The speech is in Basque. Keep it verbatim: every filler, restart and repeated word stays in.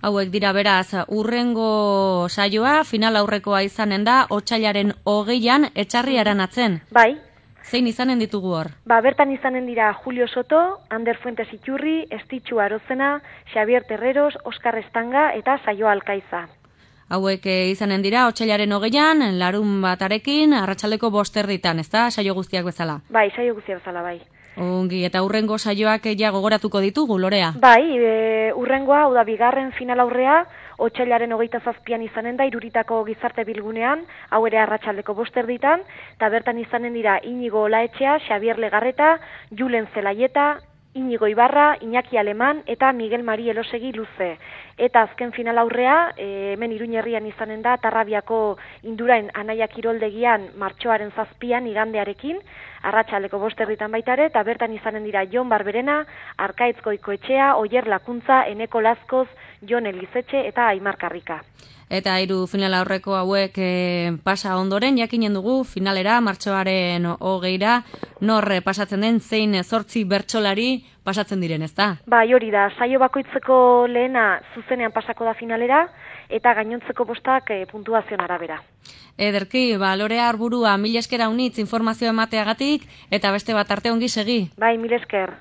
Hauek dira beraz, urrengo saioa, final aurrekoa izanen da, otsailaren hogeian, etxarriaren atzen. Bai. Zein izanen ditugu hor? Ba, bertan izanen dira Julio Soto, Ander Fuentes Iturri, Estitxu Arozena, Xavier Terreros, Oskar Estanga eta Saioa Alkaiza. Hauek izanen dira, otsailaren hogeian, larun batarekin, arratsaldeko bosterditan, ez da, saio guztiak bezala? Bai, saio guztiak bezala, bai. Ongi, eta urrengo saioak ja gogoratuko ditugu, Lorea? Bai, e, urrengoa, hau da, bigarren final aurrea, otsailaren hogeita zazpian izanen da, Iruritako gizarte bilgunean, hau ere arratsaldeko bosterditan, eta bertan izanen dira Inigo Olaetxea, Xavier Legarreta, Julen Zelaieta, Inigo Ibarra, Iñaki Aleman eta Miguel Mari Elosegi Luze. Eta azken final aurrea, e, hemen Iruñerrian izanen da, Tarrabiako Indurain Anaia Kiroldegian martxoaren zazpian igandearekin, arratsaldeko bosterditan baitare, eta bertan izanen dira Jon Barberena, Arkaitz Goikoetxea, Oier Lakuntza, Eneko Lazkoz, Jon Elizetxe eta Aimar Karrika. Eta hiru final aurreko hauek e, pasa ondoren, jakinen dugu finalera, martxoaren hogeira, nor pasatzen den, zein zortzi bertsolari pasatzen diren, ez da? Bai, hori da, saio bakoitzeko lehena zuzenean pasako da finalera, eta gainontzeko bostak e, puntuazioan arabera. Ederki, ba, Lorea Arburua, mil esker haunitz informazio emateagatik, eta beste bat arte ongi segi. Bai, mil esker.